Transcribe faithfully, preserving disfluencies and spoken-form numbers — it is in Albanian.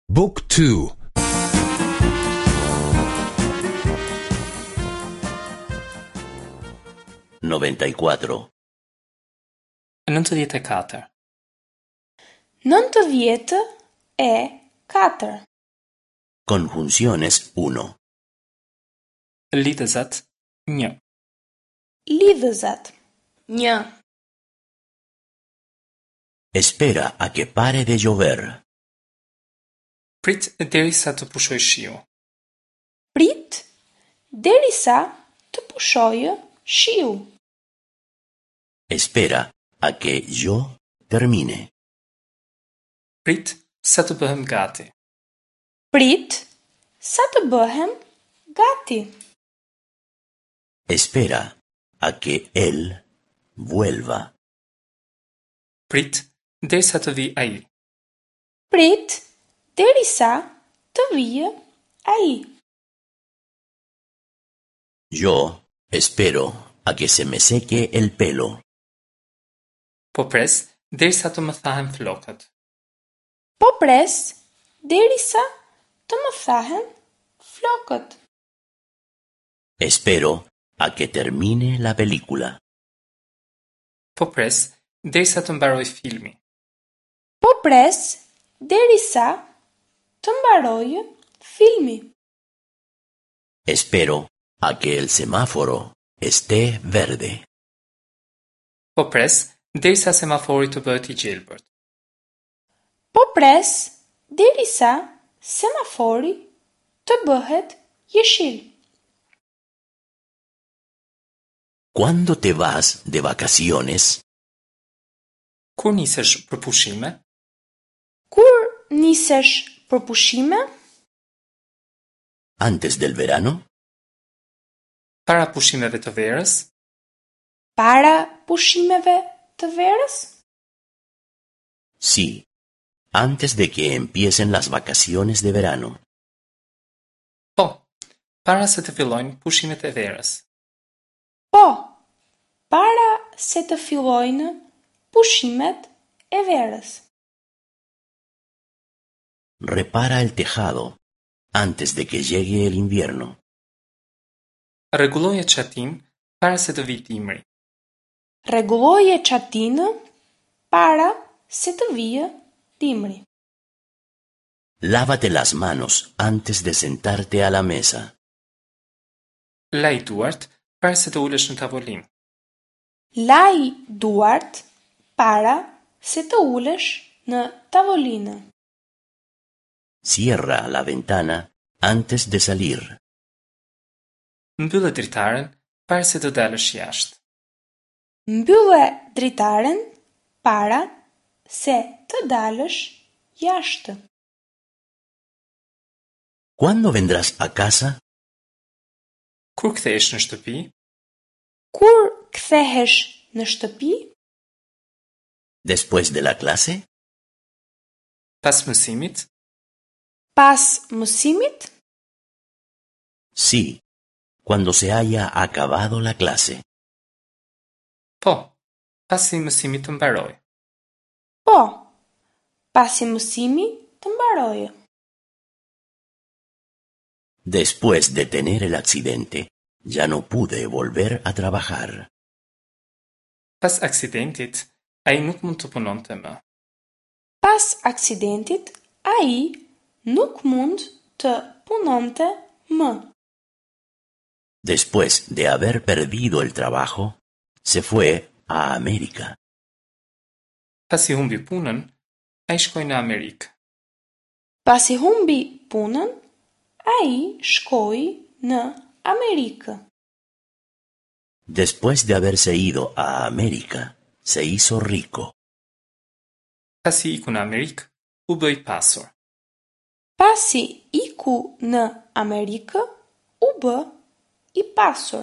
Book two. noventa y cuatro. Nëntëdhjetë e katër. Nëntëdhjetë e katër. Conjunciones uno. Lidhëzat një. Lidhëzat një. Espera a que pare de llover. Prit derisa të pushojë shiu. Prit derisa të pushojë shiu. Espera a que yo termine. Prit sa të bëhem gati. Prit sa të bëhem gati. Espera a que él vuelva. Prit derisa të vijë ai. Prit derisa të vijë ai. Yo espero a que se me seque el pelo. Po pres derisa të më thahen flokët. Po pres derisa të më thahen flokët. Espero a que termine la película. Po pres derisa të mbarojë filmi. Po pres derisa të mbarojë filmi. Espero a que el semáforo esté verde. Po pres derisa semafori të bëhet i gjelbërt. Po pres derisa semafori të bëhet jeshil. ¿Cuándo te vas de vacaciones? Kur nisesh për pushime? Kur nisesh për pushime? ¿Antes del verano? Para pushimeve të verës? Para pushimeve të verës? Sí, antes de que empiecen las vacaciones de verano. Po, para se të fillojnë pushimet e verës. Po, para se të fillojnë pushimet e verës. Repara el tejado antes de que llegue el invierno. Rregulloje çatinë para se të vijë dimri. Rregulloje çatinë para se të vijë dimri. Lávate las manos antes de sentarte a la mesa. Laj duart para se të ulesh në tavolinë. Laj duart para se të ulesh në tavolinë. Cierra la ventana antes de salir. Mbyllë dritaren para se të dalësh jashtë. Mbyllë dritaren para se të dalësh jashtë. ¿Cuándo vendrás a casa? Kur kthehesh në shtëpi? Kur kthehesh në shtëpi? ¿Después de la clase? Pas mësimit? Pas mësimit? Sí, cuando se haya acabado la clase. Po, pasi mësimi të mbarojë. Po, pasi mësimi të mbarojë. Después de tener el accidente, ya no pude volver a trabajar. Pas aksidentit, ai nuk mund të punonte më. Pas aksidentit, ai nuk mund të punonte më. Después de haber perdido el trabajo, se fue a América. Pasi humbi punën, ai shkoi në Amerikë. Pasi humbi punën, ai shkoi në Amerikë. Después de haberse ido a América, se hizo rico. Pasi iku në Amerikë, u bë i pasur. Pasi iku në Amerikë, u bë i pasur.